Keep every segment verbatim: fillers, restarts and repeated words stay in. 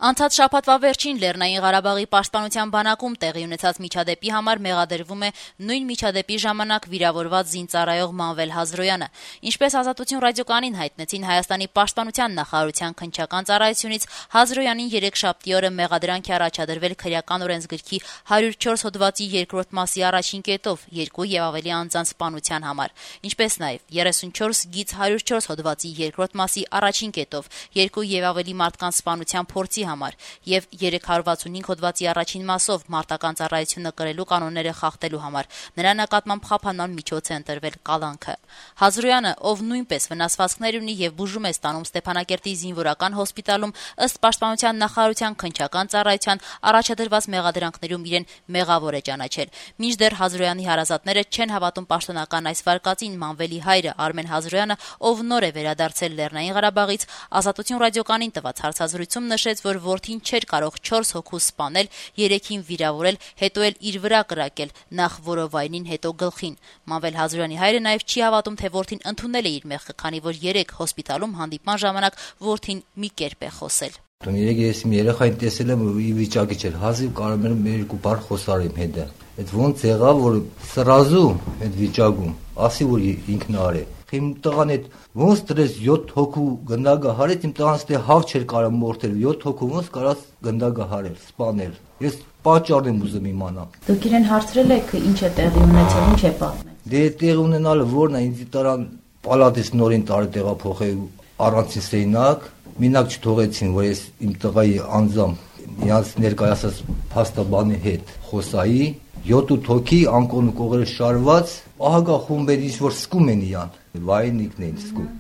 Անցած շաբաթվա վերջին Լեռնային Ղարաբաղի պաշտպանության բանակում տեղի ունեցած միջադեպի համար մեղադրվում է նույն միջադեպի ժամանակ վիրավորված զինծառայող Մանվել Հազրոյանը։ Ինչպես Ազատություն ռադիոկայանին հայտնեցին Հայաստանի պաշտպանության նախարարության քննչական ծառայությունից, Հազրոյանին երեքշաբթի օրը մեղադրանք է առաջադրվել քրեական օրենսգրքի հարյուր չորս հոդվածի երկրորդ մասի առաջին կետով երկու եւ ավելի անձանց սպանության համար, ինչպես նաեւ երեսունչորս գիծ հարյուր չորս հոդվածի երկրորդ մասի առաջին կետով երկու եւ ավելի մարդկանց սպանության փորձի համար եւ երեք հարյուր վաթսունհինգ հոդվածի առաջին մասով մարտական ծառայությունը կրելու կանոնները խախտելու համար նրա նկատմամբ խափանման միջոց է ընտրվել կալանքը։ Հազրոյանը, ով նույնպես վնասվածքներ ունի եւ բուժում է ստանում Ստեփանակերտի զինվորական հոսպիտալում, ըստ պաշտպանության նախարարության քննչական ծառայության առաջադրված մեղադրանքներում իրեն մեղավոր է ճանաչել։ Մինչդեռ Հազրոյանի հարազատները չեն հավատում պաշտոնական այս վարկածին։ Մանվելի հայրը Արմեն Հազրոյանը, ով նոր է վերադարձել Լեռնային Ղարաբաղից, Ազատություն ռադիոկայանին տված հարցազրույցում նշեց, որ որդին չէր կարող չորս հոգու սպանել, երեքին վիրավորել, հետո էլ իր վրա կրակել, նախ որովայնին, հետո գլխին։ Մանվել Հազրոյանի հայրը նաև չի հավատում, թե որդին ընդունել է իր մեղքը, քանի որ երեք հոսպիտալում հանդիպման ժամանակ որդին մի կերպ է խոսել։ Երեք ես իմ երեխային տեսել եմ, ի վիճակի չէր, հազիվ կարող եմ մեր երկու բառ խոսալ իմ հետ։ Այդ ոնց եղավ, որ սրազու այդ վիճակում ասի, որ ինքն արե։ Իմ տղան այդ ոնց դրես յոթ հոգու գնդակը հարեց, իմ տղան ստե հավ չէր կարող մորթել, յոթ հոգու ոնց կարած գնդակը հարել, սպանել։ Ես պատճառն եմ ուզում իմանալ։ Դուք իրեն հարցրել եք ինչ է տեղի ունեցել, ինչ է պատմել։ Դե տեղ ունենալը ո՞րն է, ինձ տարան պալատից նորին տարի տեղափոխել առանցին սենյակ, մինակ չթողեցին, որ ես իմ տղայի անձամբ իրանց ներկայացած փաստաբանի հետ խոսայի, յոթ հոգի անկոն կողերը շարված, ահագա խումբեր ինչ որ սկում են իրան, վայնիկն են սկում։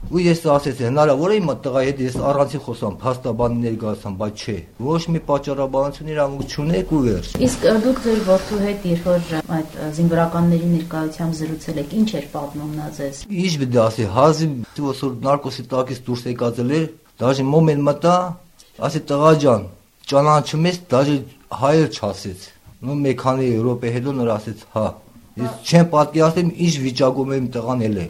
Ու ես ասեցի, հնարավոր է իմ տղայի հետ ես առանցին խոսամ, փաստաբանի ներկայացամ, բայց չէ։ Ոչ մի պատճառաբանություն իրավունք չունեք ու վերջ։ Իսկ դուք ձեր որդու հետ երբ որ այդ զինվորականների ներկայությամբ զրուցել եք, ինչ էր պատմում նա ձեզ։ Ինչ պիտի ասի, հազիվ ոսոր նարկոսի տակից դուրս եկածել էր, դաժե մոմենտ մտա, ասի տղա ջան, ճանաչում ես, դաժե հայեր չասեց։ Նո մեկ քանի րոպե հետո նոր ասեց, հա։ Ես չեմ պատկերացնում ինչ վիճակում եմ տղան էլ է։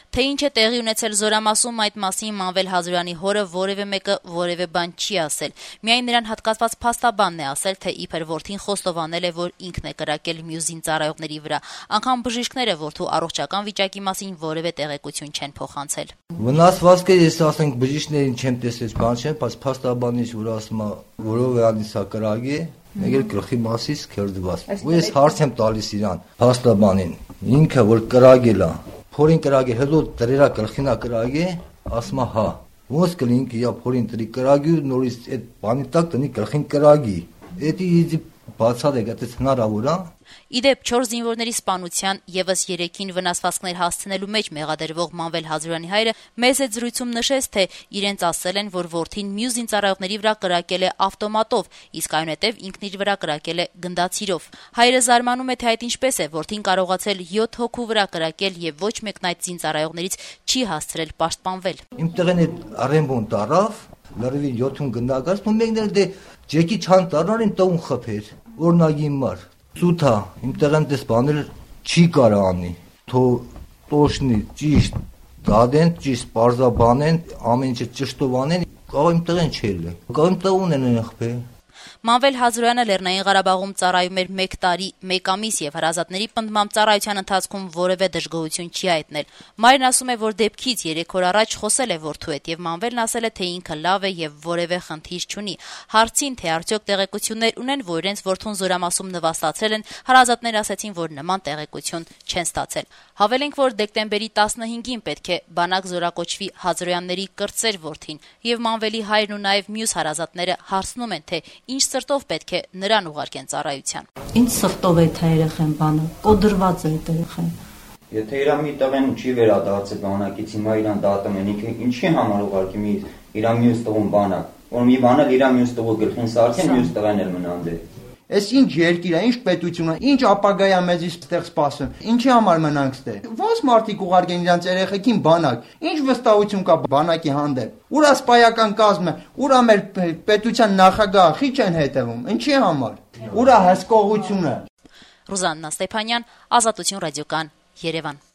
Թե ինչ է տեղի ունեցել Զորամասում, այդ մասին Մանվել Հազրոյանի հորը որևէ մեկը որևէ բան չի ասել։ Միայն նրան հատկացված փաստաբանն է ասել, թե իբր որդին խոստովանել է, որ ինքն է կրակել մյուս զինծառայողների վրա։ Անգամ բժիշկները որդու առողջական վիճակի մասին որևէ տեղեկություն չեն փոխանցել։ Վնասվածքը ես ասենք բժիշկներին չեմ տեսել, բան չեմ, բայց փաստաբանից որ ասում է, որով է անիսա կրակի, մեկ էլ գլխի մասից քերծված։ Ու ես հարց եմ տալիս իրան, փաստաբանին, ինքը որ կրակել է, փորին կրակի, հետո դրերա գլխինա կրակի, ասում է հա։ Ոնց կլինք իա փորին դրի կրակի ու նորից այդ բանի տակ տնի գլխին կրակի։ Էդի իզի բացալ է, դա հնարավոր է։ Իդեպ չորս զինվորների սպանության եւս երեքին վնասվածքներ հասցնելու մեջ մեղադրվող Մանվել Հազրոյանի հայրը մեծ այդ զրույցում նշեց, թե իրենց ասել են, որ որդին մյուս զինծառայողների վրա կրակել է ավտոմատով, իսկ այնուհետև ինքն իր վրա կրակել է գնդացիրով։ Հայրը զարմանում է, թե այդ ինչպես է, որդին կարողացել յոթ հոգու վրա կրակել եւ ոչ մեկն այդ զինծառայողներից չի հասցրել պաշտպանվել։ Իմ տղեն այդ արեմբոն տարավ, լրիվ յոթուն գնդակած, ու մեկն էլ դե ջեկի չան տարնարին տուն խփեր, օրնագի մար։ Սութա, իմ տղեն դες բանել չի կարա անի, թո տոշնի ճիշտ դադեն, ճիշտ պարզաբանեն, ամեն ինչը ճշտով անեն, կարող իմ տղեն չել է, կարող իմ տղուն են ընխպե։ Մանվել Հազրոյանը Լեռնային Ղարաբաղում ծառայում էր մեկ տարի, մեկ ամիս եւ հարազատների պնդմամբ ծառայության ընթացքում որևէ դժգոհություն չի հայտնել։ Մայրն ասում է, որ դեպքից երեք օր առաջ խոսել է որդու հետ եւ Մանվելն ասել է, թե ինքը լավ է եւ որևէ խնդիր չունի։ Հարցին, թե արդյոք տեղեկություններ ունեն, որ իրենց որդուն Զորամասում նվաստացել են, հարազատները ասեցին, որ նման տեղեկություն չեն ստացել։ Հավելենք, որ դեկտեմբերի տասնհինգին պետք է բանակ զորակոչվի Հազրոյանների կրտսեր որդին եւ Մանվելի հայրն ու նաեւ մյուս հարազատները հարցնում են, թե ինչ սրտով պետք է նրան ուղարկեն ծառայության։ Ինչ սրտով է թե երեխեն բանը, կոդրված է այդ երեխեն։ Եթե իրա մի տղեն չի վերադարձել բանակից, հիմա իրան դատում են, ինքը ինչի համար ուղարկի մի իրա մյուս տղուն բանակ, որ մի բանը իրա մյուս տղու գլխին սարքեն, մյուս տղեն էլ մնան դե։ Այս ինչ երկիր է, ինչ պետություն է, ինչ ապագայ է մեզից ստեղ սպասում։ Ինչի համար մնանք ստեղ։ Ոնց մարդիկ ուղարկեն իրանց երեխեքին բանակ։ Ինչ վստահություն կա բանակի հանդեպ։ Ուրա սպայական կազմը, ուրա մեր պետության նախագահը խիչ են հետևում։ Ինչի համար։ Ուրա հսկողությունը։ Ռուզաննա Ստեփանյան, Ազատություն ռադիոկայան, Երևան։